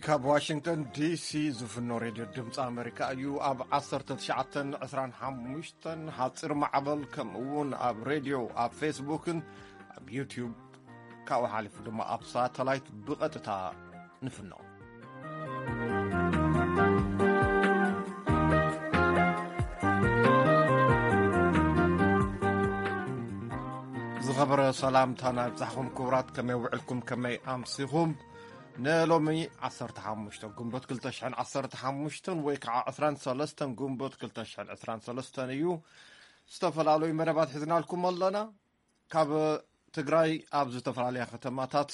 ካብ ዋሽንግተን ዲሲ ዝፍኖ ሬድዮ ድምፂ ኣመሪካ እዩ። ኣብ ዓሰርተ ትሽዓተን ዕስራን ሓሙሽተን ሓፂር ማዕበል፣ ከምኡ እውን ኣብ ሬድዮ፣ ኣብ ፌስቡክን ኣብ ዩትዩብ፣ ካብኡ ሓሊፉ ድማ ኣብ ሳተላይት ብቐጥታ ንፍኖ። ዝኸበረ ሰላምታና ይብጻሕኩም ክቡራት፣ ከመይ ውዕልኩም፣ ከመይ ኣምሲኹም? ንሎሚ ዓሰርተ ሓሙሽተ ግንቦት ክልተ ሽሕን ዓሰርተ ሓሙሽተን ወይ ከዓ ዕስራን ሰለስተን ግንቦት ክልተ ሽሕን ዕስራን ሰለስተን እዩ። ዝተፈላለዩ መደባት ሒዝናልኩም ኣለና። ካብ ትግራይ ኣብ ዝተፈላለያ ከተማታት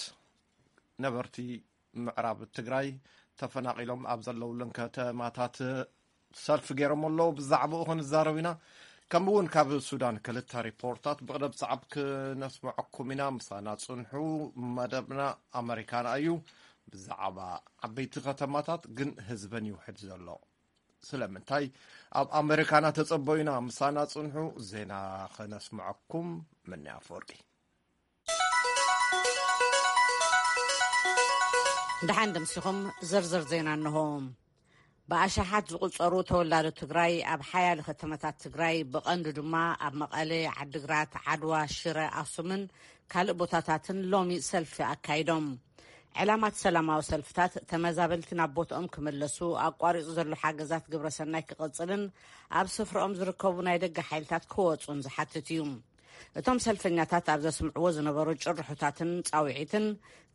ነበርቲ ምዕራብ ትግራይ ተፈናቒሎም ኣብ ዘለውለን ከተማታት ሰልፊ ገይሮም ኣለዉ። ብዛዕባኡ ክንዛረብ ኢና። ከምኡ እውን ካብ ሱዳን ክልተ ሪፖርታት ብቕደም ሰዓብ ክነስምዐኩም ኢና። ምሳና ጽንሑ። መደብና ኣመሪካና እዩ። ብዛዕባ ዓበይቲ ከተማታት ግን ህዝበን ይውሕድ ዘሎ። ስለምንታይ ኣብ ኣመሪካና ተጸበዩና? ምሳና ጽንሑ። ዜና ከነስምዐኩም። ምንያ ኣፈወርቂ። ደሓን ደምሲኹም። ዝርዝር ዜና እንሆ። ብኣሽሓት ዝቑጸሩ ተወላዶ ትግራይ ኣብ ሓያለ ከተማታት ትግራይ፣ ብቐንዱ ድማ ኣብ መቐለ፣ ዓድግራት፣ ዓድዋ፣ ሽረ፣ ኣኽሱምን ካልእ ቦታታትን ሎሚ ሰልፊ ኣካይዶም። ዕላማት ሰላማዊ ሰልፍታት፣ ተመዛበልቲ ናብ ቦትኦም ክምለሱ፣ ኣቋሪጹ ዘሎ ሓገዛት ግብረሰናይ ክቕጽልን ኣብ ስፍራኦም ዝርከቡ ናይ ደገ ሓይልታት ክወጹን ዝሓትት እዩ። እቶም ሰልፈኛታት ኣብ ዘስምዕዎ ዝነበሩ ጭርሖታትን ጻውዒትን፣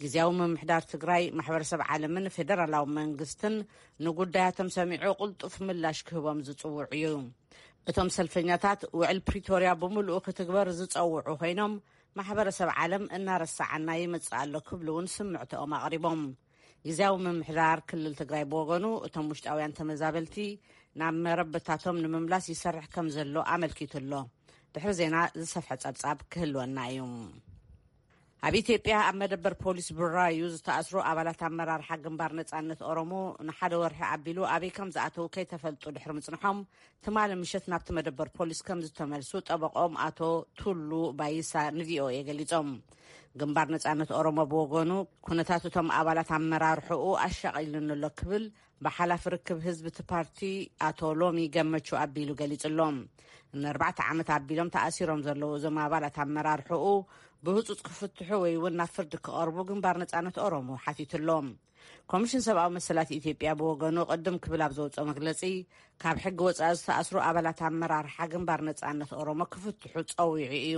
ግዝያዊ ምምሕዳር ትግራይ፣ ማሕበረሰብ ዓለምን ፌደራላዊ መንግስትን ንጉዳያቶም ሰሚዑ ቅልጡፍ ምላሽ ክህቦም ዝጽውዕ እዩ። እቶም ሰልፈኛታት፣ ውዕል ፕሪቶርያ ብምሉኡ ክትግበር ዝጸውዑ ኮይኖም፣ ማሕበረሰብ ዓለም እናረሳዓና ይመጽእ ኣሎ ክብሉ እውን ስምዕትኦም ኣቕሪቦም። ግዝያዊ ምምሕዳር ክልል ትግራይ ብወገኑ፣ እቶም ውሽጣውያን ተመዛበልቲ ናብ መረበታቶም ንምምላስ ይሰርሕ ከም ዘሎ ኣመልኪቱ ኣሎ። ድሕሪ ዜና ዝሰፍሐ ጸብጻብ ክህልወና እዩ። ኣብ ኢትዮጵያ ኣብ መደበር ፖሊስ ቡራዩ ዝተኣስሩ ኣባላት ኣመራርሓ ግንባር ነጻነት ኦሮሞ ንሓደ ወርሒ ኣቢሉ ኣበይ ከም ዝኣተዉ ከይተፈልጡ ድሕሪ ምጽንሖም፣ ትማሊ ምሸት ናብቲ መደበር ፖሊስ ከም ዝተመልሱ ጠበቆም ኣቶ ቱሉ ባይሳ ንቪኦኤ ገሊጾም። ግንባር ነጻነት ኦሮሞ ብወገኑ፣ ኩነታት እቶም ኣባላት ኣመራርሕኡ ኣሻቒሉኒ ኣሎ ክብል ብሓላፊ ርክብ ህዝቢ እቲ ፓርቲ ኣቶ ሎሚ ገመቹ ኣቢሉ ገሊጹ ኣሎ። ንኣርባዕተ ዓመት ኣቢሎም ተኣሲሮም ዘለዉ እዞም ኣባላት ኣመራርሕኡ፣ ብህጹጽ ክፍትሑ ወይ እውን ናብ ፍርዲ ክቐርቡ ግንባር ነጻነት ኦሮሞ ሓቲቱ ኣሎ። ኮሚሽን ሰብኣዊ መሰላት ኢትዮጵያ ብወገኑ፣ ቅድም ክብል ኣብ ዘውፅኦ መግለጺ፣ ካብ ሕጊ ወጻኢ ዝተኣስሩ ኣባላት ኣመራርሓ ግንባር ነጻነት ኦሮሞ ክፍትሑ ጸዊዑ እዩ።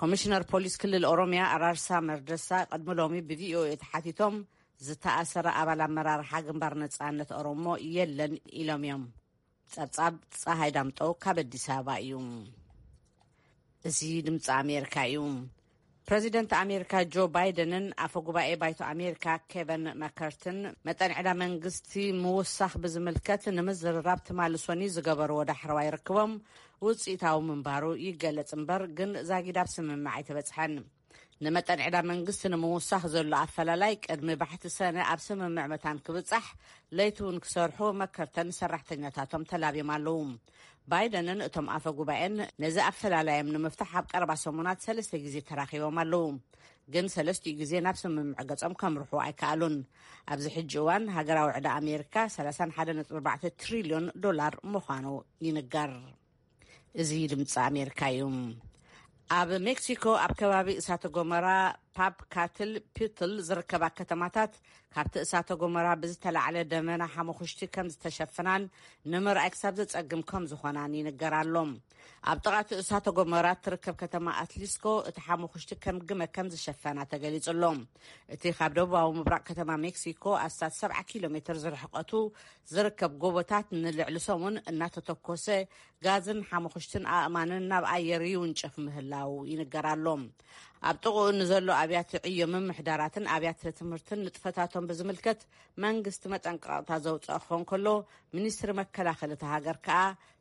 ኮሚሽነር ፖሊስ ክልል ኦሮሚያ ኣራርሳ መርደሳ ቅድሚ ሎሚ ብቪኦኤ ተሓቲቶም፣ ዝተኣሰረ ኣባል ኣመራርሓ ግንባር ነጻነት ኦሮሞ የለን ኢሎም እዮም። ጸብጻብ ጸሃይ ዳምጠው ካብ ኣዲስ ኣበባ እዩ። እዚ ድምፂ ኣሜሪካ እዩ። ፕረዚደንት ኣሜሪካ ጆ ባይደንን ኣፈ ጉባኤ ባይቶ ኣሜሪካ ኬቨን መከርትን፣ መጠን ዕዳ መንግስቲ ምውሳኽ ብዝምልከት ንምዝርራብ ትማሊ ሰኑይ ዝገበርዎ ዳሕረዋይ ርክቦም ውፅኢታዊ ምንባሩ ይገለጽ እምበር፣ ግን ዛጊድ ኣብ ስምምዕ ኣይተበጽሐን። ንመጠን ዕዳ መንግስቲ ንምውሳኽ ዘሎ ኣፈላላይ፣ ቅድሚ ባሕቲ ሰነ ኣብ ስምምዕ መታን ክብጻሕ፣ ለይቲ እውን ክሰርሑ መከርተን ሰራሕተኛታቶም ተላብዮም ኣለዉ። ባይደንን እቶም ኣፈ ጉባኤን ነዚ ኣፈላላዮም ንምፍታሕ ኣብ ቀረባ ሰሙናት ሰለስተ ግዜ ተራኺቦም ኣለዉ። ግን ሰለስቲኡ ግዜ ናብ ስምምዕ ገጾም ከምርሑ ኣይከኣሉን። ኣብዚ ሕጂ እዋን ሃገራዊ ዕዳ ኣሜሪካ ሰላሳን ሓደን ነጥቢ ኣርባዕተ ትሪልዮን ዶላር ምዃኑ ይንገር። እዚ ድምፂ ኣሜሪካ እዩ። ኣብ ሜክሲኮ ኣብ ከባቢ እሳተ ጎመራ ፓፕ ካትል ፒትል ዝርከባ ከተማታት ካብቲ እሳተ ጎመራ ብዝተላዕለ ደመና ሓሙኽሽቲ ከም ዝተሸፍናን ንምርኣይ ክሳብ ዘጸግም ከም ዝኾናን ይንገር ኣሎ። ኣብ ጥቓ እቲ እሳተ ጎመራ እትርከብ ከተማ ኣትሊስኮ እቲ ሓሙኽሽቲ ከም ግመ ከም ዝሸፈና ተገሊጹ ኣሎ። እቲ ካብ ደቡባዊ ምብራቕ ከተማ ሜክሲኮ ኣስታት ሰብዓ ኪሎ ሜትር ዝርሕቀቱ ዝርከብ ጎቦታት ንልዕሊ ሰሙን እናተተኮሰ ጋዝን ሓሙኽሽትን ኣእማንን ናብ ኣየር ይውንጨፍ ምህላው ይንገር ኣሎ። ኣብ ጥቕኡ ንዘሎ ኣብያተ ዕዮ ምምሕዳራትን ኣብያተ ትምህርትን ንጥፈታቶም ብዝምልከት መንግስቲ መጠንቀቕታ ዘውፅኦ ክኸውን ከሎ፣ ሚኒስትሪ መከላኸሊ እታ ሃገር ከኣ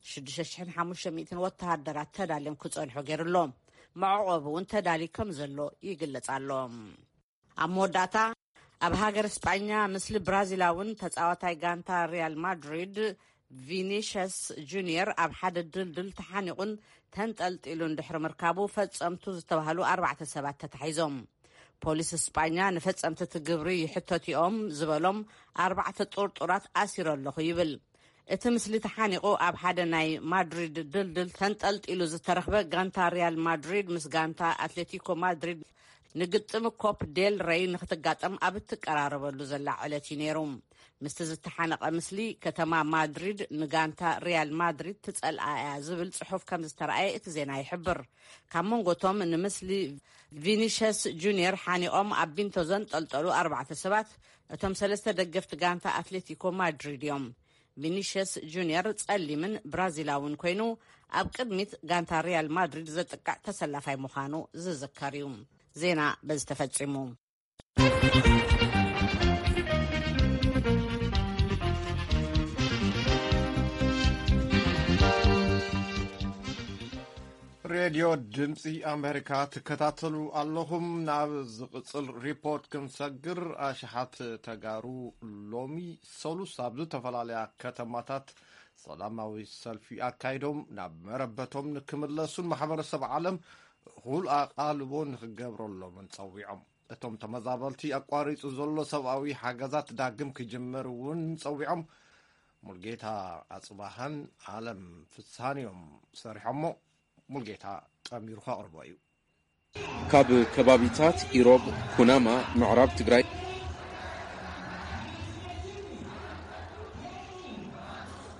ሽዱሽተ ሽሕን ሓሙሽተ ሚእትን ወተሃደራት ተዳልዮም ክጸንሑ ገይሩ ኣሎ። መዕቆቢ እውን ተዳልዩ ከም ዘሎ ይግለጽ ኣሎ። ኣብ መወዳእታ፣ ኣብ ሃገር ስጳኛ፣ ምስሊ ብራዚላውን ተጻዋታይ ጋንታ ሪያል ማድሪድ ቪኒሽስ ጁኒየር ኣብ ሓደ ድልድል ተሓኒቑን ተንጠልጢሉን ድሕሪ ምርካቡ፣ ፈጸምቱ ዝተባህሉ ኣርባዕተ ሰባት ተታሒዞም። ፖሊስ ስጳኛ ንፈጸምቲ እቲ ግብሪ ይሕተቱ እዮም ዝበሎም ኣርባዕተ ጥርጡራት ኣሲረ ኣለኹ ይብል። እቲ ምስሊ ተሓኒቑ ኣብ ሓደ ናይ ማድሪድ ድልድል ተንጠልጢሉ ዝተረኽበ ጋንታ ሪያል ማድሪድ ምስ ጋንታ ኣትሌቲኮ ማድሪድ ንግጥም ኮፕ ዴል ረይ ንክትጋጠም ኣብ እትቀራረበሉ ዘላ ዕለት እዩ ነይሩ። ምስቲ ዝተሓነቐ ምስሊ፣ ከተማ ማድሪድ ንጋንታ ሪያል ማድሪድ ትጸልኣ እያ ዝብል ጽሑፍ ከም ዝተረኣየ እቲ ዜና ይሕብር። ካብ መንጎቶም ንምስሊ ቪኒሸስ ጁኒየር ሓኒቖም ኣብ ቢንቶ ዘንጠልጠሉ ኣርባዕተ ሰባት፣ እቶም ሰለስተ ደገፍቲ ጋንታ ኣትሌቲኮ ማድሪድ እዮም። ቪኒሸስ ጁኒየር ጸሊምን ብራዚላውን ኮይኑ፣ ኣብ ቅድሚት ጋንታ ሪያል ማድሪድ ዘጥቅዕ ተሰላፋይ ምዃኑ ዝዝከር እዩ። ዜና በዚ ተፈጺሙ። ሬድዮ ድምፂ ኣሜሪካ ትከታተሉ ኣለኹም። ናብ ዝቕፅል ሪፖርት ክንሰግር፣ ኣሽሓት ተጋሩ ሎሚ ሰሉስ ኣብ ዝተፈላለያ ከተማታት ሰላማዊ ሰልፊ ኣካይዶም ናብ መረበቶም ንክምለሱን ማሕበረሰብ ዓለም እኹል ኣቓልቦ ንክገብረሎምን ጸዊዖም። እቶም ተመዛበልቲ ኣቋሪጹ ዘሎ ሰብኣዊ ሓገዛት ዳግም ክጅምር እውን ጸዊዖም። ሙልጌታ ኣጽባሃን ዓለም ፍስሃን እዮም ሰሪሖሞ። ሙልጌታ ጠሚሩ ከቕርቦ እዩ። ካብ ከባቢታት ኢሮብ ኩናማ ምዕራብ ትግራይ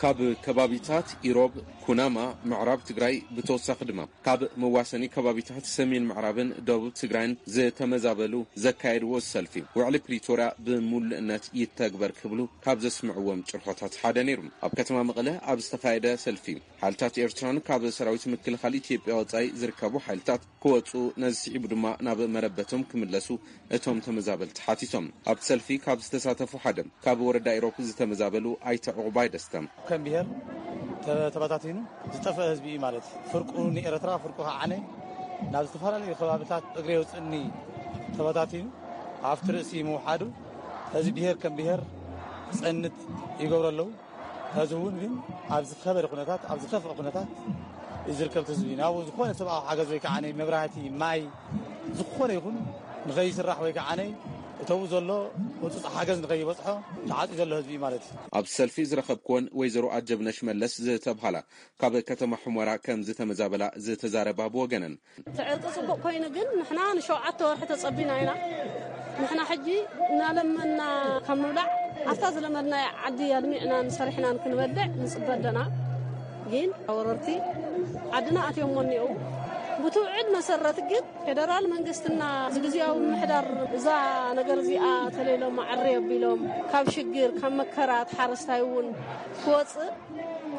ካብ ከባቢታት ኢሮብ ኩናማ ምዕራብ ትግራይ ብተወሳኺ ድማ ካብ መዋሰኒ ከባቢታት ሰሜን ምዕራብን ደቡብ ትግራይን ዝተመዛበሉ ዘካየድዎ ሰልፊ ውዕሊ ፕሪቶርያ ብምሉእነት ይተግበር ክብሉ ካብ ዘስምዕዎም ጭርሖታት ሓደ ነይሩ። ኣብ ከተማ መቐለ ኣብ ዝተኻየደ ሰልፊ ሓይልታት ኤርትራን ካብ ሰራዊት ምክልኻል ኢትዮጵያ ወጻኢ ዝርከቡ ሓይልታት ክወጹ፣ ነዚ ስዒቡ ድማ ናብ መረበቶም ክምለሱ እቶም ተመዛበልቲ ሓቲቶም። ኣብቲ ሰልፊ ካብ ዝተሳተፉ ሓደ ካብ ወረዳ ኢሮብ ዝተመዛበሉ ኣይተ ዕቑባይ ደስታ። ከም ብሔር ተ-፣ ተበታቲኑ ዝጠፍአ ህዝቢ እዩ ማለት። ፍርቁ ንኤርትራ፣ ፍርቁ ከዓ ዓነ ናብ ዝተፈላለዩ ከባቢታት እግሪ የውፅእኒ ተበታቲኑ ኣብቲ ርእሲ ምውሓዱ፣ እዚ ብሔር ከም ብሔር ክፀንት ይገብሩ ኣለዉ። ሕዚ እውን ግን ኣብ ዝኸበደ ኩነታት፣ ኣብ ዝኸፍአ ኩነታት እዩ ዝርከብ ህዝቢ። ናብኡ ዝኾነ ሰብኣዊ ሓገዝ ወይ ከዓ ናይ መብራህቲ፣ ማይ፣ ዝኾነ ይኹን ንኸይስራሕ ወይ ከዓ ናይ እተው ዘሎ ህፁፅ ሓገዝ ንኸይበፅሖ ተዓፅዩ ዘሎ ህዝቢ እዩ ማለት እዩ። ኣብ ሰልፊ ዝረኸብክወን ወይዘሮ ኣጀብነሽ መለስ ዝተብሃላ ካብ ከተማ ሑመራ ከም ዝተመዛበላ ዝተዛረባ ብወገነን፣ እቲ ዕርቂ ጽቡቕ ኮይኑ ግን ንሕና ንሸውዓተ ወርሒ ተጸቢና ኢና። ንሕና ሕጂ እናለመና ካብ ምብላዕ ኣብታ ዝለመድናያ ዓዲ ኣልሚዕናን ሰሪሕናን ክንበልዕ ንጽበ ኣለና። ግን ወረርቲ ዓድና ኣትዮሞ እኒአው። ብትውዕል መሰረት ግን ፌደራል መንግስትና ዝግዝያዊ ምምሕዳር እዛ ነገር እዚኣ ተለይሎም ኣዕሪ ኣቢሎም ካብ ሽግር ካብ መከራ እቲ ሓረስታይ እውን ክወጽእ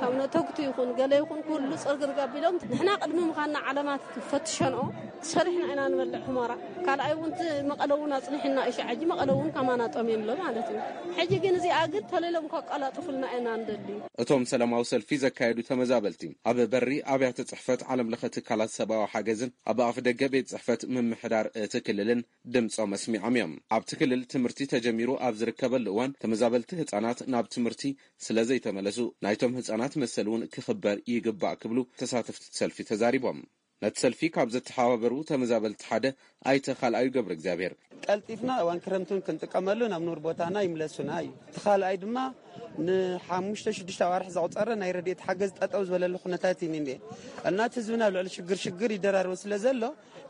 ካብ ነተግቱ ይኹን ገለ ይኹን ኩሉ ጽርግርግ ኣቢሎም ንሕና ቅድሚ ምዃንና ዓለማት ፈትሸንኦ ሰሪሕና ኢና ንበልዕ ሑመራ። ካልኣይ እውን እቲ መቐለ እውን ኣጽኒሕና እዩ ሸዓጂ መቐለ እውን ከማና ጠምዮም ኣሎ ማለት እዩ። ሕጂ ግን እዚኣ ግን ተለይሎም ከቀላጥፉልና ኢና ንደሊ። እቶም ሰላማዊ ሰልፊ ዘካየዱ ተመዛበልቲ ኣብ በሪ ኣብያተ ጽሕፈት ዓለም ለኸ ትካላት ሰብኣዊ ሓገዝን ኣብ ኣፍ ደገ ቤት ጽሕፈት ምምሕዳር እቲ ክልልን ድምጾም ኣስሚዖም እዮም። ኣብቲ ክልል ትምህርቲ ተጀሚሩ ኣብ ዝርከበሉ እዋን ተመዛበልቲ ህጻናት ናብ ትምህርቲ ስለ ዘይተመለሱ ናይቶም ህጻናት መሰል እውን ክኽበር ይግባእ ክብሉ ተሳተፍቲ ሰልፊ ተዛሪቦም። ነቲ ሰልፊ ካብ ዘተሓባበሩ ተመዛበልቲ ሓደ ኣይተ ካልኣዩ ገብረ እግዚኣብሔር። ቀልጢፍና እዋን ክረምትን ክንጥቀመሉ ናብ ኑር ቦታና ይምለሱና እዩ። እቲ ካልኣይ ድማ ንሓሙሽተ ሽዱሽተ ኣዋርሕ ዘቑጸረ ናይ ረድኤት ሓገዝ ጠጠው ዝበለሉ ኩነታት እዩ እኒኤ። እና እቲ ህዝብና ኣብ ልዕሊ ሽግር ሽግር ይደራረቡ ስለ ዘሎ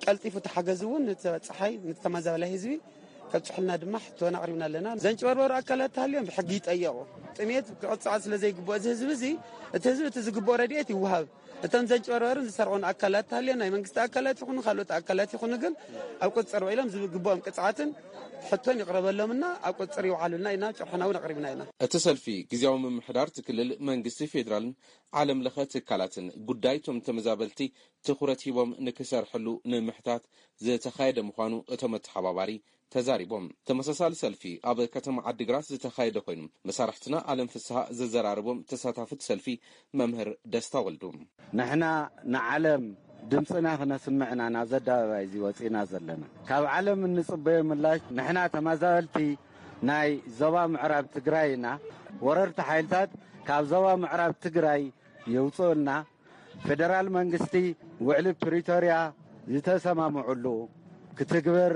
ቀልጢፉ እቲ ሓገዝ እውን ንተበጻሓይ ንተመዛበላይ ህዝቢ ከብጽሑልና ድማ ሕቶና ኣቕሪብና ኣለና። ዘንጭበርበሩ ኣካላት ተሃልዮም ብሕጊ ይጠየቑ። ጥሜት ክቕጻዕ ስለ ዘይግብኦ እዚ ህዝቢ እዚ፣ እቲ ህዝቢ እቲ ዝግብኦ ረድኤት ይወሃብ። እቶም ዘንጭበርበሩን ዝሰርቑን ኣካላት ተሃልዮም ናይ መንግስቲ ኣካላት ይኹኑ ካልኦት ኣካላት ይኹኑ ግን ኣብ ቁፅፅር ውዒሎም ዝግብኦም ቅፅዓትን ሕቶን ይቕረበሎምና ኣብ ቁፅፅር ይውዓሉልና ኢና ጭርሖና እውን ኣቕሪብና ኢና። እቲ ሰልፊ ግዝያዊ ምምሕዳር እቲ ክልል መንግስቲ ፌዴራልን ዓለም ለኸ ትካላትን ጉዳይ እቶም ተመዛበልቲ ትኹረት ሂቦም ንክሰርሕሉ ንምሕታት ዝተኻየደ ምዃኑ እቶም ኣተሓባባሪ ተዛሪቦም። ተመሳሳሊ ሰልፊ ኣብ ከተማ ዓዲግራት ዝተኻየደ ኮይኑ መሳርሕትና ኣለም ፍስሃ ዘዘራረቦም ተሳታፍቲ ሰልፊ መምህር ደስታ ወልዱ። ንሕና ንዓለም ድምፅና ክነስምዕና ናብዚ ኣደባባይ እዚ ወፂና ዘለና። ካብ ዓለም እንፅበዮ ምላሽ ንሕና ተመዛበልቲ ናይ ዞባ ምዕራብ ትግራይ ኢና። ወረርቲ ሓይልታት ካብ ዞባ ምዕራብ ትግራይ የውፅኡልና። ፌደራል መንግስቲ ውዕሊ ፕሪቶርያ ዝተሰማምዑሉ ክትግብር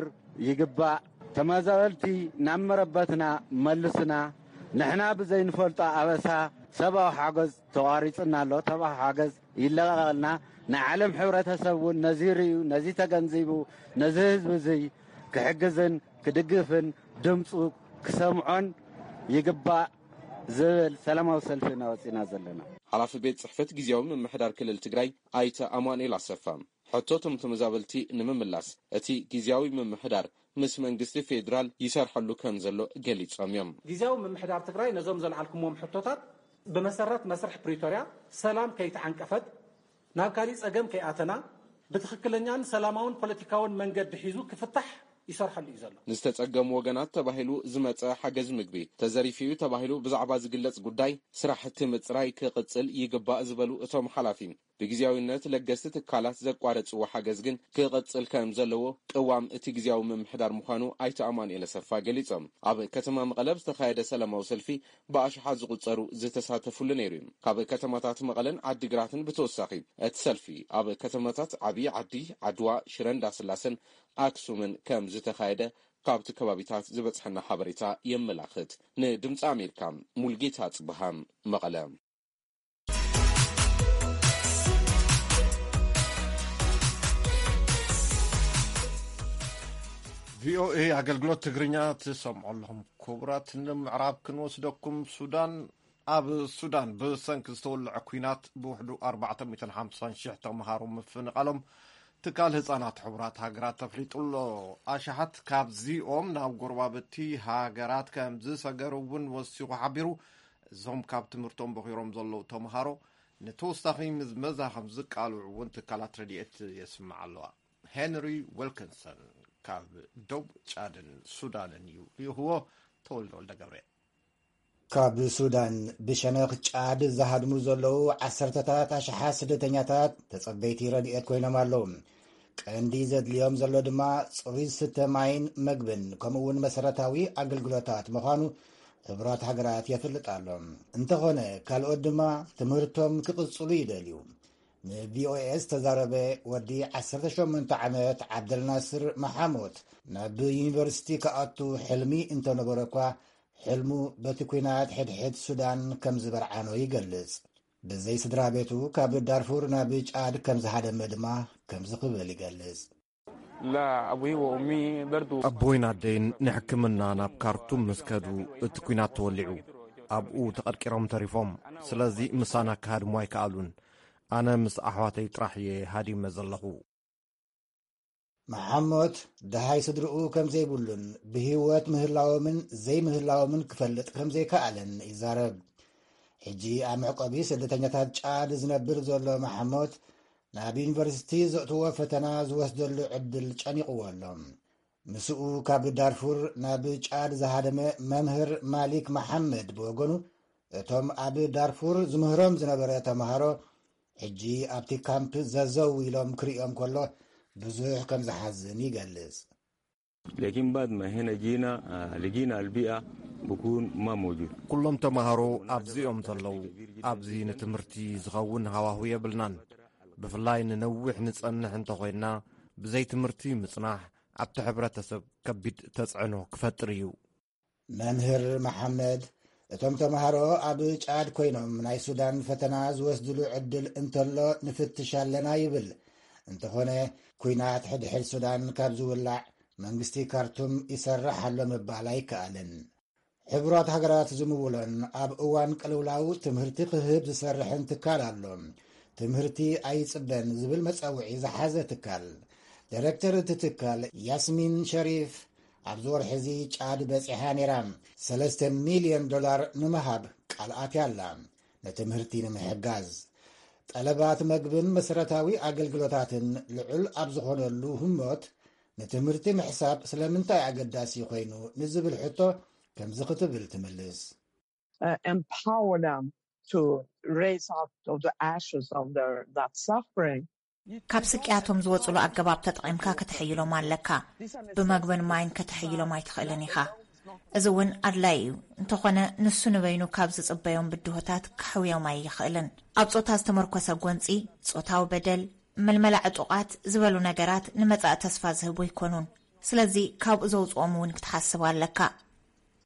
ይግባእ። ተመዛበልቲ ናብ መረበትና መልሱና። ንሕና ብዘይንፈልጦ ኣበሳ ሰብኣዊ ሓገዝ ተቋሪጽና ኣሎ። ሰብኣዊ ሓገዝ ይለቐቐልና። ናይ ዓለም ሕብረተሰብ እውን ነዚ ርእዩ፣ ነዚ ተገንዚቡ፣ ነዚ ህዝቢ እዚ ክሕግዝን ክድግፍን ድምፁ ክሰምዖን ይግባእ ዝብል ሰላማዊ ሰልፊ ኢና ወፂና ዘለና። ሓላፊ ቤት ጽሕፈት ግዝያዊ ምምሕዳር ክልል ትግራይ ኣይተ ኣማኑኤል ኣሰፋ፣ ሕቶ እቶም ተመዛበልቲ ንምምላስ እቲ ግዝያዊ ምምሕዳር ምስ መንግስቲ ፌዴራል ይሰርሐሉ ከም ዘሎ ገሊጾም እዮም። ግዝያዊ ምምሕዳር ትግራይ ነዞም ዘልዓልኩምዎም ሕቶታት ብመሰረት መስርሕ ፕሪቶርያ ሰላም ከይተዓንቀፈት ናብ ካሊእ ጸገም ከይኣተና ብትኽክለኛን ሰላማውን ፖለቲካውን መንገዲ ሒዙ ክፍታሕ ይሰርሐሉ እዩ ዘሎ። ንዝተጸገሙ ወገናት ተባሂሉ ዝመጸ ሓገዝ ምግቢ ተዘሪፉ እዩ ተባሂሉ ብዛዕባ ዝግለጽ ጉዳይ ስራሕቲ ምጽራይ ክቕጽል ይግባእ ዝበሉ እቶም ሓላፊ፣ ብግዝያዊነት ለገስቲ ትካላት ዘቋረጽዎ ሓገዝ ግን ክቕጽል ከም ዘለዎ ቅዋም እቲ ግዝያዊ ምምሕዳር ምዃኑ ኣይተ ኣማኑኤል ኣሰፋ ገሊጾም። ኣብ ከተማ መቐለ ዝተኻየደ ሰላማዊ ሰልፊ ብኣሽሓት ዝቑጸሩ ዝተሳተፉሉ ነይሩ እዩ። ካብ ከተማታት መቐለን ዓዲግራትን ብተወሳኺ እቲ ሰልፊ ኣብ ከተማታት ዓብዪ ዓዲ፣ ዓድዋ፣ ሽረ እንዳስላሰን ኣክሱምን ከም ዝተኻየደ ካብቲ ከባቢታት ዝበጽሐና ሓበሬታ የመላኽት። ንድምፂ ኣሜሪካ፣ ሙልጌታ ጽብሃ፣ መቐለ። ቪኦኤ ኣገልግሎት ትግርኛ ትሰምዑ ኣለኹም። ክቡራት፣ ንምዕራብ ክንወስደኩም። ሱዳን፣ ኣብ ሱዳን ብሰንኪ ዝተወልዐ ኲናት ብውሕዱ ኣርባዕተ ሚእትን ሓምሳን ሽሕ ተምሃሮ ምፍንቓሎም ትካል ህጻናት ሕቡራት ሃገራት ተፍሊጡ ኣሎ። ኣሽሓት ካብዚኦም ናብ ጎረባብቲ ሃገራት ከም ዝሰገሩ እውን ወሲኹ ሓቢሩ። እዞም ካብ ትምህርቶም በኺሮም ዘለዉ ተምሃሮ ንተወሳኺ ምዝመዛ ከም ዝቃልዑ እውን ትካላት ረድኤት የስምዓ ኣለዋ። ሄንሪ ዊልኪንሰን ካብ ዶብ ጫድን ሱዳንን እዩ ልኢኽዎ። ተወልደ ወልደ ገብርኤል። ካብ ሱዳን ብሸነኽ ጫድ ዝሃድሙ ዘለዉ ዓሰርተታት ኣሽሓት ስደተኛታት ተጸበይቲ ረድኤት ኮይኖም ኣለዉ። ቀንዲ ዘድልዮም ዘሎ ድማ ጽሩይ ዝስተ ማይን መግብን ከምኡ እውን መሰረታዊ ኣገልግሎታት ምዃኑ ሕቡራት ሃገራት የፍልጥ ኣሎ። እንተኾነ ካልኦት ድማ ትምህርቶም ክቕጽሉ ይደልዩ። ንቪኦኤ ዝተዛረበ ወዲ ዓሰርተ ሸሞንተ ዓመት ዓብደልናስር መሓሞት ናብ ዩኒቨርሲቲ ክኣቱ ሕልሚ እንተነበረ እኳ ሕልሙ በቲ ኲናት ሕድሕድ ሱዳን ከም ዝበርዓኖ ይገልጽ። ብዘይ ስድራ ቤቱ ካብ ዳርፉር ናብ ጫድ ከም ዝሃደመ ድማ ከምዚ ክብል ይገልጽ። لا، أبوي وأمي برضو. ኣቦይን ኣደይን ንሕክምና ናብ ካርቱም ምስ ከዱ እቲ ኲናት ተወሊዑ። ኣብኡ ተቐድቂሮም ተሪፎም። ስለዚ ምሳና ክሃድሙ ኣይከኣሉን። ኣነ ምስ ኣሕዋተይ ጥራሕ እየ ሃዲመ ዘለኹ። መሓሞት ደሃይ ስድርኡ ከም ዘይብሉን ብህይወት ምህላዎምን ዘይምህላዎምን ክፈልጥ ከም ዘይከኣለን ይዛረብ። ሕጂ ኣብ መዕቆቢ ስደተኛታት ጫድ ዝነብር ዘሎ መሓሞት ናብ ዩኒቨርሲቲ ዘእትዎ ፈተና ዝወስደሉ ዕድል ጨኒቕዎ ኣሎ። ምስኡ ካብ ዳርፉር ናብ ጫድ ዝሃደመ መምህር ማሊክ መሓመድ ብወገኑ፣ እቶም ኣብ ዳርፉር ዝምህሮም ዝነበረ ተምሃሮ ሕጂ ኣብቲ ካምፕ ዘዘው ኢሎም ክርእዮም ከሎ ብዙሕ ከም ዝሓዝን ይገልጽ። لكن بعد ما هنا جينا، آه، لقينا البيئة بكون ما موجود. ኩሎም ተምሃሮ ኣብዚኦም ዘለዉ። ኣብዚ ንትምህርቲ ዝኸውን ሃዋሁ የብልናን። ብፍላይ ንነዊሕ ንጸንሕ እንተኾይንና ብዘይ ትምህርቲ ምጽናሕ ኣብቲ ሕብረተሰብ ከቢድ ተጽዕኖ ክፈጥር እዩ። መምህር መሓመድ፣ እቶም ተምሃሮ ኣብ ጫድ ኮይኖም ናይ ሱዳን ፈተና ዝወስድሉ ዕድል እንተሎ ንፍትሽ ኣለና ይብል። እንተኾነ፣ ኲናት ሕድሕድ ሱዳን ካብ ዝውላዕ መንግስቲ ካርቱም ይሰርሕ ኣሎ ምባል ኣይከኣልን። ሕቡራት ሃገራት ዝምውሎን ኣብ እዋን ቅልውላው ትምህርቲ ክህብ ዝሰርሕን ትካል ኣሎ። ትምህርቲ ኣይጽበን ዝብል መጸውዒ ዝሓዘ ትካል። ዳይረክተር እቲ ትካል ያስሚን ሸሪፍ ኣብዚ ወርሒ እዚ ጫድ በጺሓ ነይራ። ሰለስተ ሚልዮን ዶላር ንምሃብ ቃል ኣትያ ኣላ። ንትምህርቲ ንምሕጋዝ ጠለባት መግብን መሰረታዊ ኣገልግሎታትን ልዑል ኣብ ዝኾነሉ ህሞት ንትምህርቲ ምሕሳብ ስለምንታይ ኣገዳሲ ኮይኑ ንዝብል ሕቶ ከምዚ ክትብል ትምልስ። uh, empower them to raise out of the ashes of their that suffering. ካብ ስቅያቶም ዝወፅሉ ኣገባብ ተጠቒምካ ከተሐይሎም ኣለካ። ብመግብን ማይን ከተሐይሎም ኣይትኽእልን ኢኻ። እዚ እውን ኣድላይ እዩ። እንተኾነ ንሱ ንበይኑ ካብ ዝፅበዮም ብድሆታት ከሕውዮም ኣይኽእልን። ኣብ ጾታ ዝተመርኮሰ ጎንፂ፣ ጾታዊ በደል፣ ምልመላ ዕጡቓት ዝበሉ ነገራት ንመጻኢ ተስፋ ዝህቡ ኣይኮኑን። ስለዚ ካብኡ ዘውፅኦም እውን ክትሓስብ ኣለካ።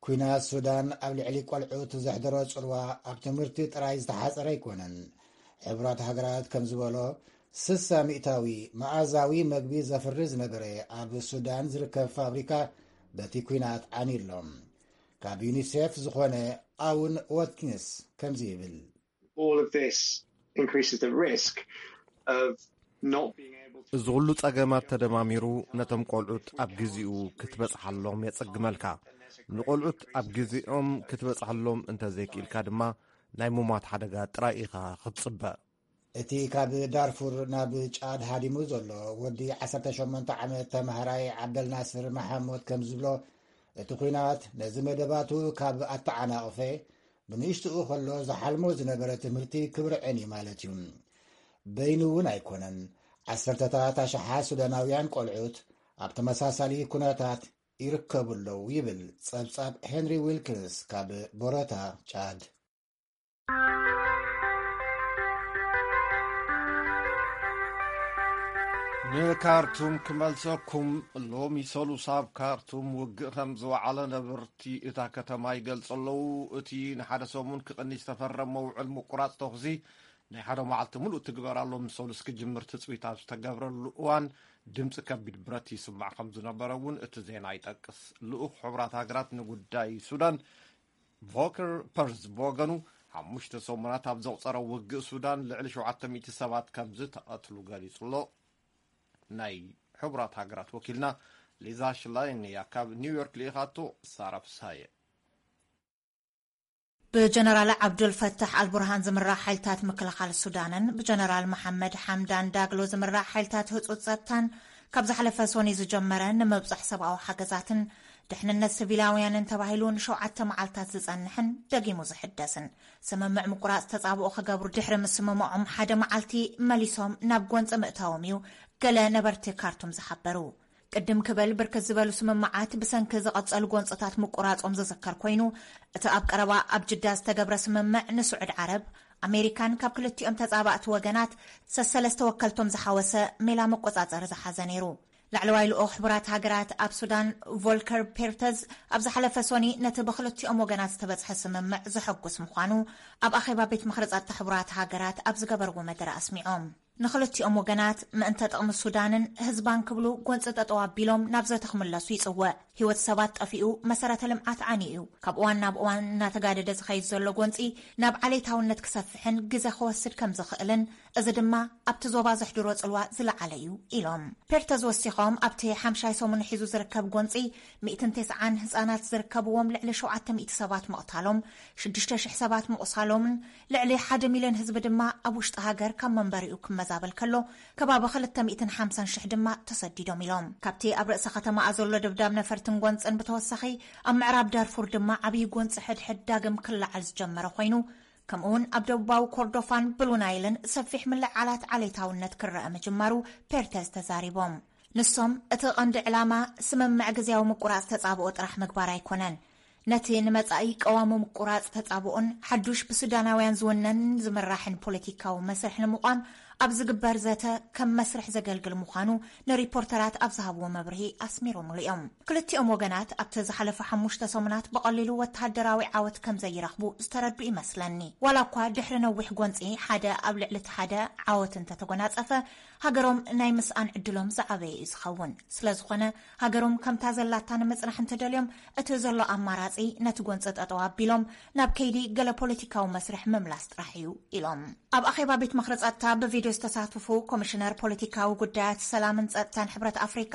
ኩናት ሱዳን ኣብ ልዕሊ ቆልዑት ዘሕደሮ ጽልዋ ኣብ ትምህርቲ ጥራይ ዝተሓጸረ ኣይኮነን። ሕቡራት ሃገራት ከም ዝበሎ፣ ስሳ ሚእታዊ መኣዛዊ መግቢ ዘፍሪ ዝነበረ ኣብ ሱዳን ዝርከብ ፋብሪካ በቲ ኩናት ዓንዩ ኣሎ። ካብ ዩኒሴፍ ዝኾነ ኣውን ዋትኪንስ ከምዚ ይብል። All of this increases the risk of not being able to እዚ ኩሉ ጸገማት ተደማሚሩ ነቶም ቆልዑት ኣብ ግዜኡ ክትበጽሓሎም የጸግመልካ። ንቆልዑት ኣብ ግዜኦም ክትበጽሓሎም እንተዘይክኢልካ ድማ ናይ ምሟት ሓደጋ ጥራይ ኢኻ ክትጽበ። እቲ ካብ ዳርፉር ናብ ጫድ ሃዲሙ ዘሎ ወዲ ዓሰርተ ሸሞንተ ዓመት ተማሃራይ ዓብደልናስር መሓሙድ ከም ዝብሎ፣ እቲ ኲናት ነዚ መደባቱ ካብ ኣተዓናቕፈ፣ ብንእሽትኡ ከሎ ዝሓልሞ ዝነበረ ትምህርቲ ክብርዕን እዩ ማለት እዩ። በይኑ እውን ኣይኮነን። ዓሰርተታት ኣሽሓት ሱዳናውያን ቆልዑት ኣብ ተመሳሳሊ ኩነታት ይርከቡ ኣለዉ ይብል ጸብጻብ ሄንሪ ዊልኪንስ ካብ ቦረታ ጫድ። ንካርቱም ክመልሰኩም። ሎሚ ሰሉስ ኣብ ካርቱም ውግእ ከም ዝወዓለ ነበርቲ እታ ከተማ ይገልጹ ኣለዉ። እቲ ንሓደ ሰሙን ክቕኒ ዝተፈረመ ውዕል ምቁራጽ ተኹሲ ናይ ሓደ መዓልቲ ምሉእ ትግበራ ሎሚ ሰሉስ ክጅምር ትጽቢት ኣብ ዝተገብረሉ እዋን ድምጺ ከቢድ ብረት ይስማዕ ከም ዝነበረ እውን እቲ ዜና ይጠቅስ። ልኡኽ ሕቡራት ሃገራት ንጉዳይ ሱዳን ቮከር ፐርዝ ብወገኑ፣ ሓሙሽተ ሰሙናት ኣብ ዘቑጸረ ውግእ ሱዳን ልዕሊ ሸውዓተ ሚእቲ ሰባት ከም ዝተቐትሉ ገሊጹ ኣሎ። ናይ ሕቡራት ሃገራት ወኪልና ሊዛ ሽላይን እያ ካብ ኒውዮርክ ልኢኻቶ። ሳራ ፍስሃየ። ብጀነራል ዓብዱልፈታሕ ኣልቡርሃን ዝምራሕ ሓይልታት ምክልኻል ሱዳንን ብጀነራል መሓመድ ሓምዳን ዳግሎ ዝምራሕ ሓይልታት ህጹጽ ጸጥታን ካብ ዝሓለፈ ሶኒ ዝጀመረ ንምብጻሕ ሰብኣዊ ሓገዛትን ድሕንነት ሲቪላውያንን ተባሂሉ ንሸውዓተ መዓልታት ዝጸንሕን ደጊሙ ዝሕደስን ስምምዕ ምቁራጽ ተጻብኦ ክገብሩ ድሕሪ ምስምምዖም ሓደ መዓልቲ መሊሶም ናብ ጎንጺ ምእታዎም እዩ ገለ ነበርቲ ካርቱም ዝሓበሩ። ቅድም ክብል ብርክት ዝበሉ ስምምዓት ብሰንኪ ዝቐጸሉ ጎንጽታት ምቁራጾም ዝዝከር ኮይኑ፣ እቲ ኣብ ቀረባ ኣብ ጅዳ ዝተገብረ ስምምዕ ንስዑድ ዓረብ፣ ኣሜሪካን ካብ ክልቲኦም ተጻባእቲ ወገናት ሰሰለስተ ወከልቶም ዝሓወሰ ሜላ መቆጻጸሪ ዝሓዘ ነይሩ። ላዕለዋይ ልኡኽ ሕቡራት ሃገራት ኣብ ሱዳን ቮልከር ፔርተዝ ኣብ ዝሓለፈ ሶኒ ነቲ ብክልቲኦም ወገናት ዝተበጽሐ ስምምዕ ዘሐጉስ ምዃኑ ኣብ ኣኼባ ቤት ምኽሪ ጸጥታ ሕቡራት ሃገራት ኣብ ዝገበርዎ መደረ ኣስሚዖም። ንኽልቲኦም ወገናት ምእንተ ጥቕሚ ሱዳንን ህዝባን ክብሉ ጎንፂ ጠጠው ኣቢሎም ናብ ዘተ ክምለሱ ይፅውዕ። ህይወት ሰባት ጠፊኡ፣ መሰረተ ልምዓት ዓንዩ እዩ። ካብ እዋን ናብ እዋን እናተጋደደ ዝኸይድ ዘሎ ጎንፂ ናብ ዓሌታውነት ክሰፍሕን ግዘ ክወስድ ከም ዝኽእልን፣ እዚ ድማ ኣብቲ ዞባ ዘሕድሮ ፅልዋ ዝለዓለ እዩ ኢሎም። ፔርተዝ ወሲኾም፣ ኣብቲ ሓምሻይ ሰሙን ሒዙ ዝርከብ ጎንፂ ሚእትን ተስዓን ህፃናት ዝርከብዎም ልዕሊ ሸውዓተ ሚእቲ ሰባት ምቕታሎም፣ ሽዱሽተ ሽሕ ሰባት ምቑሳሎምን ልዕሊ ሓደ ሚልዮን ህዝቢ ድማ ኣብ ውሽጢ ሃገር ካብ መንበሪኡ ክመዛበል ከሎ፣ ከባቢ ክልተ ሚእትን ሓምሳን ሽሕ ድማ ተሰዲዶም ኢሎም። ካብቲ ኣብ ርእሰ ከተማኣ ዘሎ ደብዳብ ነፈርትን ጎንፅን ብተወሳኺ፣ ኣብ ምዕራብ ዳርፉር ድማ ዓብዪ ጎንፂ ሕድሕድ ዳግም ክለዓል ዝጀመረ ኮይኑ፣ ከምኡውን ኣብ ደቡባዊ ኮርዶፋን ብሉ ናይልን ሰፊሕ ምልዕዓላት ዓሌታውነት ክረአ ምጅማሩ ፔርተዝ ተዛሪቦም። ንሶም፣ እቲ ቀንዲ ዕላማ ስምምዕ ግዜያዊ ምቁራጽ ተጻብኦ ጥራሕ ምግባር ኣይኮነን። ነቲ ንመጻኢ ቀዋሚ ምቁራጽ ተጻብኦን ሓዱሽ ብሱዳናውያን ዝውነን ዝምራሕን ፖለቲካዊ መስርሕ ንምቋም ኣብ ዝግበር ዘተ ከም መስርሕ ዘገልግል ምዃኑ ንሪፖርተራት ኣብ ዝሃብዎ መብርሂ ኣስሚሮምሉ እዮም። ክልቲኦም ወገናት ኣብቲ ዝሓለፈ ሓሙሽተ ሰሙናት ብቐሊሉ ወተሃደራዊ ዓወት ከም ዘይረኽቡ ዝተረዱ ይመስለኒ። ዋላ እኳ ድሕሪ ነዊሕ ጎንጺ ሓደ ኣብ ልዕሊ እቲ ሓደ ዓወት እንተተጎናጸፈ፣ ሃገሮም ናይ ምስኣን ዕድሎም ዝዓበየ እዩ ዝኸውን። ስለ ዝኾነ፣ ሃገሮም ከምታ ዘላታ ንምጽናሕ እንተደልዮም፣ እቲ ዘሎ ኣማራጺ ነቲ ጎንጺ ጠጠው ኣቢሎም ናብ ከይዲ ገለ ፖለቲካዊ መስርሕ ምምላስ ጥራሕ እዩ ኢሎም። ኣብ ኣኼባ ቤት ምኽሪ ጸጥታ ብቪድዮ ዝተሳተፉ ኮሚሽነር ፖለቲካዊ ጉዳያት ሰላምን ጸጥታን ሕብረት ኣፍሪካ፣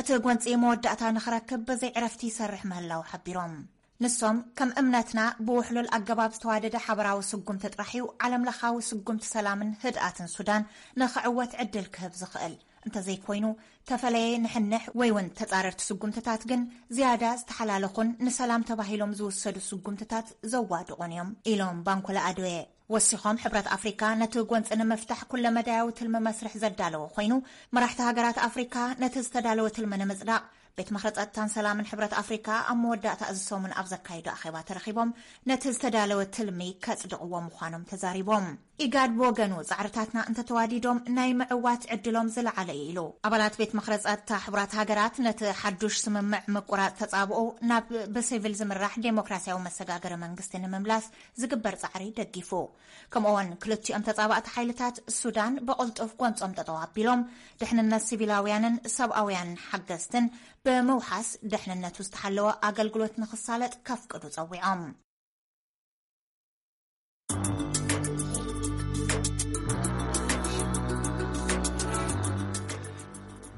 እቲ ጎንጺ መወዳእታ ንኽረክብ ብዘይ ዕረፍቲ ይሰርሕ ምህላው ሓቢሮም። ንሶም፣ ከም እምነትና ብውሕሉል ኣገባብ ዝተዋደደ ሓበራዊ ስጉምቲ ጥራሕ እዩ ዓለምለኻዊ ስጉምቲ ሰላምን ህድኣትን ሱዳን ንኽዕወት ዕድል ክህብ ዝኽእል። እንተዘይኮይኑ፣ ተፈለየ ንሕንሕ ወይ እውን ተጻረርቲ ስጉምትታት ግን ዝያዳ ዝተሓላለኹን ንሰላም ተባሂሎም ዝውሰዱ ስጉምትታት ዘዋድቑን እዮም ኢሎም ባንኮላ ኣድዌ። ወሲኾም፣ ሕብረት ኣፍሪካ ነቲ ጎንፂ ንምፍታሕ ኩለመዳያዊ ትልሚ መስርሕ ዘዳለወ ኮይኑ፣ መራሕቲ ሃገራት ኣፍሪካ ነቲ ዝተዳለወ ትልሚ ንምፅዳቕ ቤት ምኽሪ ጸጥታን ሰላምን ሕብረት ኣፍሪካ ኣብ መወዳእታ እዚ ሰሙን ኣብ ዘካየዶ ኣኼባ ተረኺቦም ነቲ ዝተዳለወ ትልሚ ከጽድቕዎ ምዃኖም ተዛሪቦም። ኢጋድ ብወገኑ፣ ጻዕርታትና እንተተዋዲዶም ናይ ምዕዋት ዕድሎም ዝለዓለ እዩ ኢሉ። ኣባላት ቤት ምኽሪ ጸጥታ ሕቡራት ሃገራት ነቲ ሓዱሽ ስምምዕ ምቁራጽ ተጻብኦ ናብ ብሲቪል ዝምራሕ ዴሞክራሲያዊ መሰጋገሪ መንግስቲ ንምምላስ ዝግበር ጻዕሪ ደጊፉ። ከምኡውን ክልቲኦም ተጻባእቲ ሓይልታት ሱዳን ብቕልጡፍ ጎንጾም ጠጠው ኣቢሎም ድሕንነት ሲቪላውያንን ሰብኣውያን ሓገዝትን ብምውሓስ ድሕንነቱ ዝተሓለወ ኣገልግሎት ንኽሳለጥ ከፍቅዱ ጸዊዖም።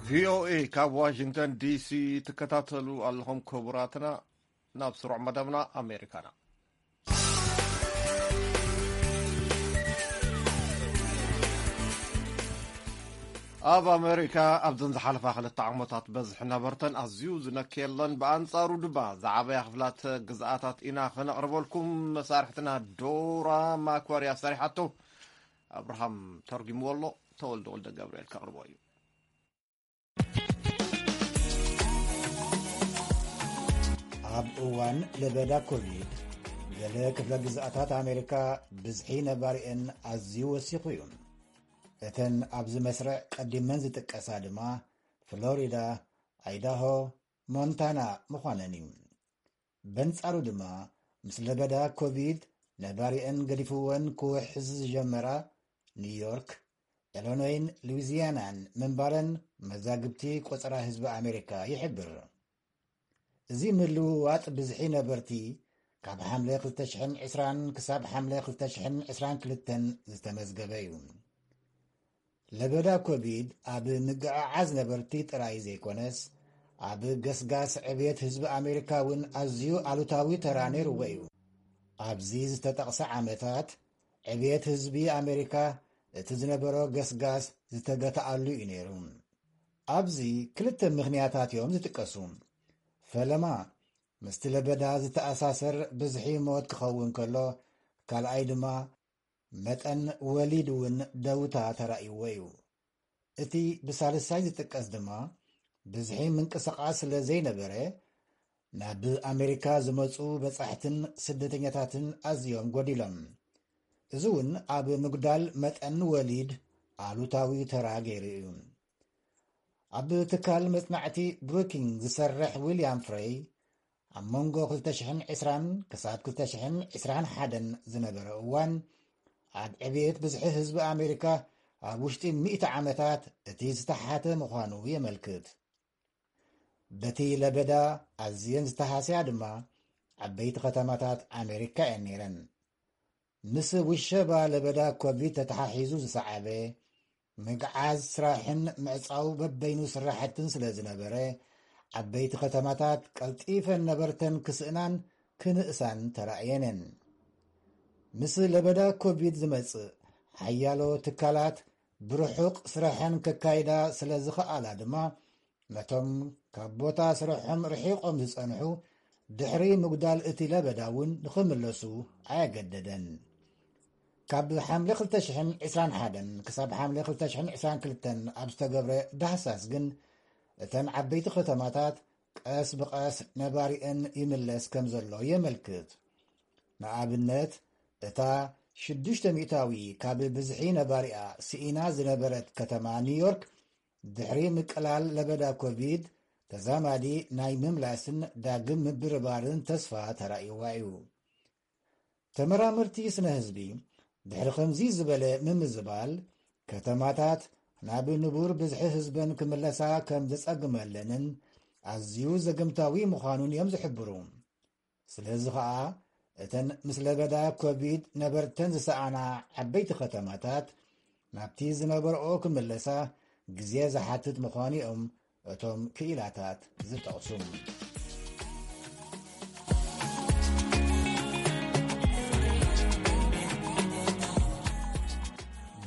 ቪኦኤ ካብ ዋሽንግተን ዲሲ ትከታተሉ ኣለኹም ክቡራትና። ናብ ስሩዕ መደብና ኣሜሪካና። ኣብ ኣሜሪካ ኣብዘን ዝሓለፋ ክልተ ዓመታት በዝሒ ነበርተን ኣዝዩ ዝነከየለን፣ ብኣንጻሩ ድማ ዝዓበያ ክፍላት ግዝኣታት ኢና ክነቕርበልኩም። መሳርሕትና ዶራ ማክዋርያ ሰሪሓቶ፣ ኣብርሃም ተርጉምዎ ኣሎ። ተወልደ ወልደ ገብርኤል ከቕርቦ እዩ። ኣብ እዋን ለበዳ ኮቪድ ገለ ክፍለ ግዝኣታት ኣሜሪካ ብዝሒ ነባሪአን ኣዝዩ ወሲኹ እዩ። እተን ኣብዚ መስርዕ ቀዲመን ዝጥቀሳ ድማ ፍሎሪዳ፣ ኣይዳሆ፣ ሞንታና ምዃነን እዩ። በንጻሩ ድማ ምስ ለበዳ ኮቪድ ነባሪአን ገዲፍወን ክውሕዝ ዝጀመራ ኒውዮርክ፣ ኤሎኖይን ሉዊዚያናን ምንባረን መዛግብቲ ቆጸራ ህዝቢ ኣሜሪካ ይሕብር። እዚ ምልውዋጥ ብዝሒ ነበርቲ ካብ ሓምለ ክልተ ሽሕን ዕስራን ክሳብ ሓምለ ክልተ ሽሕን ዕስራን ክልተን ዝተመዝገበ እዩ። ለበዳ ኮቪድ ኣብ ምግዕዓዝ ነበርቲ ጥራይ ዘይኮነስ ኣብ ገስጋስ ዕብየት ህዝቢ ኣሜሪካ እውን ኣዝዩ ኣሉታዊ ተራ ነይርዎ እዩ። ኣብዚ ዝተጠቕሰ ዓመታት ዕብየት ህዝቢ ኣሜሪካ እቲ ዝነበሮ ገስጋስ ዝተገተኣሉ እዩ ነይሩ። ኣብዚ ክልተ ምኽንያታት እዮም ዝጥቀሱ። ፈለማ ምስቲ ለበዳ ዝተኣሳሰር ብዝሒ ሞት ክኸውን ከሎ፣ ካልኣይ ድማ መጠን ወሊድ እውን ደውታ ተራእይዎ እዩ። እቲ ብሳልሳይ ዝጥቀስ ድማ ብዝሒ ምንቅስቓስ ስለ ዘይነበረ ናብ ኣሜሪካ ዝመፁ በፃሕትን ስደተኛታትን ኣዝዮም ጎዲሎም። እዚ እውን ኣብ ምጉዳል መጠን ወሊድ ኣሉታዊ ተራ ገይሩ እዩ። ኣብ ትካል መጽናዕቲ ብሩኪንግ ዝሰርሕ ዊልያም ፍሬይ፣ ኣብ መንጎ ክልተ ሽሕን ዕስራን ክሳብ ክልተ ሽሕን ዕስራን ሓደን ዝነበረ እዋን፣ ኣብ ዕብየት ብዝሒ ህዝቢ ኣሜሪካ ኣብ ውሽጢ ሚእቲ ዓመታት እቲ ዝተሓተ ምዃኑ የመልክት። በቲ ለበዳ ኣዝየን ዝተሃስያ ድማ ዓበይቲ ከተማታት ኣሜሪካ እየን ነይረን። ምስ ውሸባ ለበዳ ኮቪድ ተተሓሒዙ ዝሰዓበ ምግዓዝ ስራሕን ምዕጻው በበይኑ ስራሕትን ስለ ዝነበረ፣ ዓበይቲ ከተማታት ቀልጢፈን ነበርተን ክስእናን ክንእሳን ተራእየነን። ምስ ለበዳ ኮቪድ ዝመጽእ ሓያሎ ትካላት ብርሑቕ ስራሐን ከካይዳ ስለ ዝኸኣላ ድማ፣ ነቶም ካብ ቦታ ስርሖም ርሒቖም ዝጸንሑ ድሕሪ ምጉዳል እቲ ለበዳ እውን ንኽምለሱ ኣየገደደን። ካብ ሓምለ ክልተ ሽሕን ዕስራን ሓደን ክሳብ ሓምለ ክልተ ሽሕን ዕስራን ክልተን ኣብ ዝተገብረ ዳህሳስ ግን፣ እተን ዓበይቲ ከተማታት ቀስ ብቐስ ነባሪአን ይምለስ ከም ዘሎ የመልክት። ንኣብነት፣ እታ ሽዱሽተ ሚእታዊ ካብ ብዝሒ ነባሪኣ ስኢና ዝነበረት ከተማ ኒውዮርክ፣ ድሕሪ ምቅላል ለበዳ ኮቪድ፣ ተዛማዲ ናይ ምምላስን ዳግም ምብርባርን ተስፋ ተራእይዋ እዩ። ተመራመርቲ ስነ ህዝቢ፣ ድሕሪ ከምዚ ዝበለ ምምዝባል፣ ከተማታት ናብ ንቡር ብዝሒ ህዝበን ክምለሳ ከም ዘጸግመለንን ኣዝዩ ዘገምታዊ ምዃኑን እዮም ዝሕብሩ። ስለዚ ኸኣ፣ እተን ምስ ለበዳ ኮቪድ ነበርተን ዝሰኣና ዓበይቲ ከተማታት፣ ናብቲ ዝነበርኦ ክምለሳ ግዜ ዝሓትት ምዃኑ እዮም እቶም ክኢላታት ዝጠቕሱ።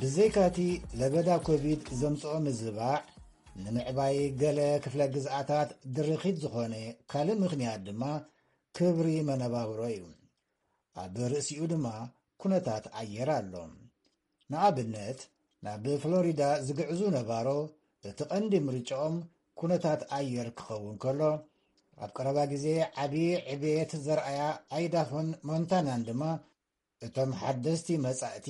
ብዘይካቲ ለበዳ ኮቪድ ዘምጽኦ ምዝባዕ፣ ንምዕባይ ገለ ክፍለ ግዝኣታት ድርኺት ዝኾነ ካልእ ምኽንያት ድማ ክብሪ መነባብሮ እዩ። ኣብ ርእሲኡ ድማ ኩነታት ኣየር ኣሎ። ንኣብነት፣ ናብ ፍሎሪዳ ዝግዕዙ ነባሮ እቲ ቀንዲ ምርጫኦም ኩነታት ኣየር ክኸውን ከሎ፣ ኣብ ቀረባ ግዜ ዓቢ ዕብየት ዘርኣያ ኣይዳሆን ሞንታናን ድማ እቶም ሓደስቲ መጻእቲ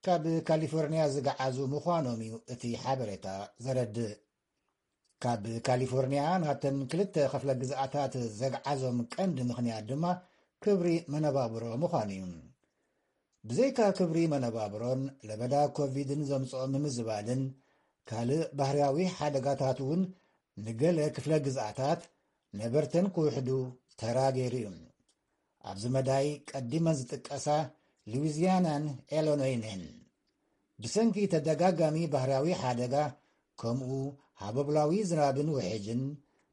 ካብ ካሊፎርንያ ዝገዓዙ ምዃኖም እዩ እቲ ሓበሬታ ዘረድእ። ካብ ካሊፎርንያ ናብተን ክልተ ክፍለ ግዝኣታት ዘግዓዞም ቀንዲ ምኽንያት ድማ ክብሪ መነባብሮ ምዃኑ እዩ። ብዘይካ ክብሪ መነባብሮን ለበዳ ኮቪድን ዘምጽኦ ምምዝባልን ካልእ ባህርያዊ ሓደጋታት እውን ንገለ ክፍለ ግዝኣታት ነበርተን ክውሕዱ ተራ ገይሩ እዩ። ኣብዚ መዳይ ቀዲመን ዝጥቀሳ ሉዊዝያናን ኤሎኖይን እየን። ብሰንኪ ተደጋጋሚ ባህርያዊ ሓደጋ ከምኡ ሃበብላዊ ዝናብን ውሕጅን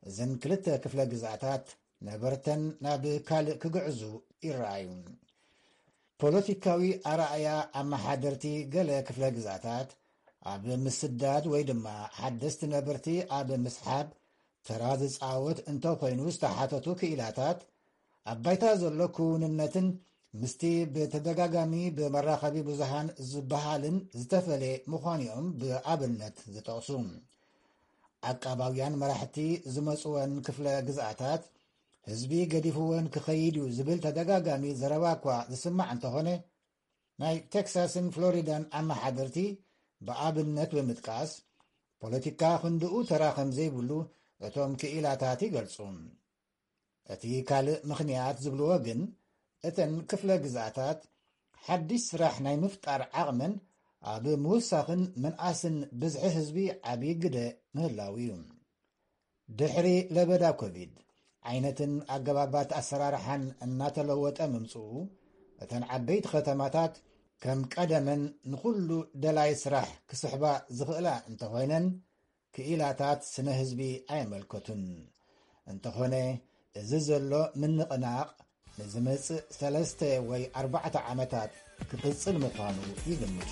እዘን ክልተ ክፍለ ግዝኣታት ነበርተን ናብ ካልእ ክግዕዙ ይረኣዩ። ፖለቲካዊ ኣረኣያ ኣመሓደርቲ ገለ ክፍለ ግዝኣታት ኣብ ምስዳድ ወይ ድማ ሓደስቲ ነበርቲ ኣብ ምስሓብ ተራ ዝጻወት እንተኾይኑ ዝተሓተቱ ክኢላታት ኣብ ባይታ ዘሎ ክውንነትን ምስቲ ብተደጋጋሚ ብመራኸቢ ብዙሃን ዝበሃልን ዝተፈለየ ምዃኑ እዮም ብኣብነት ዝጠቕሱ። ዓቃባውያን መራሕቲ ዝመጽወን ክፍለ ግዝኣታት ህዝቢ ገዲፍወን ክኸይድ እዩ ዝብል ተደጋጋሚ ዘረባ እኳ ዝስማዕ እንተኾነ፣ ናይ ቴክሳስን ፍሎሪዳን ኣመሓደርቲ ብኣብነት ብምጥቃስ፣ ፖለቲካ ክንድኡ ተራ ከም ዘይብሉ እቶም ክኢላታት ይገልጹ። እቲ ካልእ ምኽንያት ዝብልዎ ግን፣ እተን ክፍለ ግዝኣታት ሓድሽ ስራሕ ናይ ምፍጣር ዓቕመን ኣብ ምውሳኽን ምንኣስን ብዝሒ ህዝቢ ዓቢ ግደ ምህላው እዩ። ድሕሪ ለበዳ ኮቪድ፣ ዓይነትን ኣገባባት ኣሰራርሓን እናተለወጠ ምምጽኡ፣ እተን ዓበይቲ ከተማታት ከም ቀደመን ንኹሉ ደላይ ስራሕ ክስሕባ ዝኽእላ እንተኾይነን፣ ክኢላታት ስነ ህዝቢ ኣየመልከቱን። እንተኾነ፣ እዚ ዘሎ ምንቕናቕ ንዝመጽእ ሰለስተ ወይ ኣርባዕተ ዓመታት ክቕጽል ምዃኑ ይግምቱ።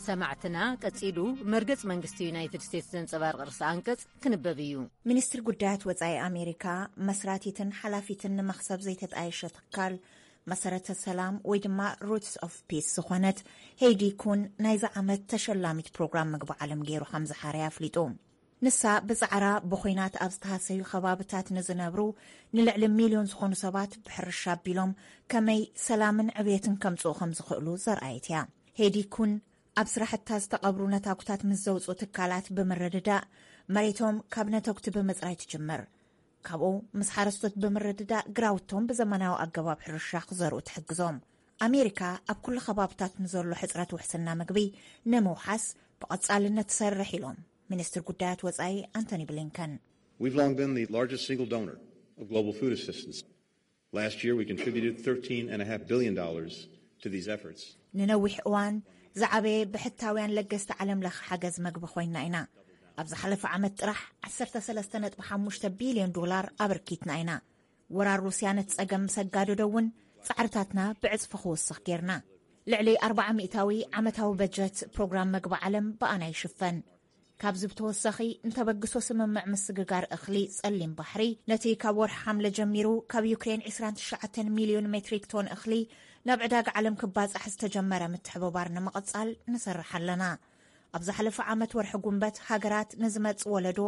ሰማዕትና፣ ቀጺሉ መርገጽ መንግስቲ ዩናይትድ ስቴትስ ዘንጸባርቕ ርእሰ ኣንቀጽ ክንበብ እዩ። ሚኒስትሪ ጉዳያት ወጻኢ ኣሜሪካ፣ መስራቲትን ሓላፊትን ንመኽሰብ ዘይተጣየሸ ትካል መሰረተ ሰላም ወይ ድማ ሩትስ ኦፍ ፒስ ዝኾነት ሄይዲ ኩን ናይዚ ዓመት ተሸላሚት ፕሮግራም ምግቢ ዓለም ገይሩ ከም ዝሓረያ ኣፍሊጡ። ንሳ ብጻዕራ ብኹናት ኣብ ዝተሃሰዩ ከባብታት ንዝነብሩ ንልዕሊ ሚልዮን ዝኾኑ ሰባት ብሕርሻ ኣቢሎም ከመይ ሰላምን ዕብየትን ከምጽኡ ከም ዝኽእሉ ዘርኣየት እያ። ሄዲ ኩን ኣብ ስራሕታ ዝተቐብሩ ነታጉታት ምስ ዘውፅኡ ትካላት ብምርድዳእ መሬቶም ካብ ነተጉቲ ብምፅራይ ትጅምር። ካብኡ ምስ ሓረስቶት ብምርድዳእ ግራውቶም ብዘመናዊ ኣገባብ ሕርሻ ክዘርኡ ትሕግዞም። ኣሜሪካ ኣብ ኩሉ ከባብታት ንዘሎ ሕፅረት ውሕስና ምግቢ ንምውሓስ ብቐፃልነት ትሰርሕ ኢሎም ሚኒስትር ጉዳያት ወፃኢ ኣንቶኒ ብሊንከን። We've long been the largest single donor of global food assistance. Last year, we contributed thirteen and a half billion dollars to these efforts. ንነዊሕ እዋን ዝዓበየ ብሕታውያን ለገስቲ ዓለም ለኸ ሓገዝ መግቢ ኮይና ኢና። ኣብ ዝሓለፈ ዓመት ጥራሕ ዓሰርተ ሰለስተ ነጥቢ ሓሙሽተ ቢልዮን ዶላር ኣበርኪትና ኢና። ወራር ሩስያ ነቲ ጸገም ምስ ኣጋደዶ እውን ጻዕርታትና ብዕጽፊ ክውስኽ ጌርና። ልዕሊ ኣርባዓ ሚእታዊ ዓመታዊ በጀት ፕሮግራም መግቢ ዓለም ብኣና ይሽፈን። ካብዚ ብተወሳኺ ንተበግሶ ስምምዕ ምስግጋር እኽሊ ጸሊም ባሕሪ ነቲ ካብ ወርሒ ሓምለ ጀሚሩ ካብ ዩክሬን ዕስራን ትሽዓተን ሚልዮን ሜትሪክ ቶን እኽሊ ናብ ዕዳጋ ዓለም ክባጻሕ ዝተጀመረ ምትሕብባር ንምቕጻል ንሰርሕ ኣለና። ኣብ ዝሓለፈ ዓመት ወርሒ ጉንበት ሃገራት ንዝመጽእ ወለዶ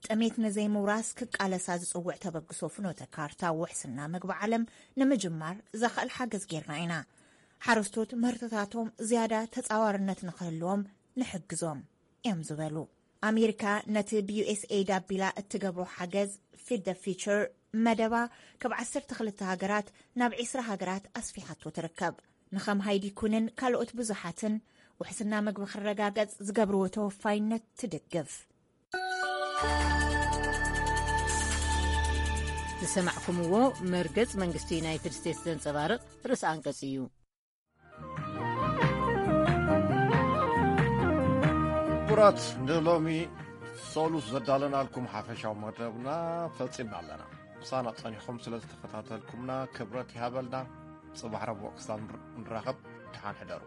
ጥሜት ንዘይምውራስ ክቃለሳ ዝጽውዕ ተበግሶ ፍኖተ ካርታ ውሕስና መግቢ ዓለም ንምጅማር ዘኽእል ሓገዝ ጌርና ኢና። ሓረስቶት ምህርትታቶም ዝያዳ ተጻዋርነት ንኽህልዎም ንሕግዞም እዮም ዝበሉ። ኣሜሪካ ነቲ ብዩኤስኤይድ ኣቢላ እትገብሮ ሓገዝ ፊድ ደ ፊቸር መደባ ካብ ዓሰርተ ክልተ ሃገራት ናብ ዕስራ ሃገራት ኣስፊሓቶ ትርከብ። ንኸም ሃይዲ ኩንን ካልኦት ብዙሓትን ውሕስና መግቢ ክረጋገጽ ዝገብርዎ ተወፋይነት ትድግፍ። ዝሰማዕኩምዎ መርገጽ መንግስቲ ዩናይትድ ስቴትስ ዘንጸባርቕ ርእሰ ኣንቀጽ እዩ። ክቡራት፣ ንሎሚ ሰሉስ ዘዳለናልኩም ሓፈሻዊ መደብና ፈጺምና ኣለና። ምሳና ጸኒሕኩም ስለ ዝተኸታተልኩምና ክብረት ይሃበልና። ጽባሕ ረቡዕ ክሳብ ንር-፣ ንራኸብ፣ ደሓን ሕደሩ።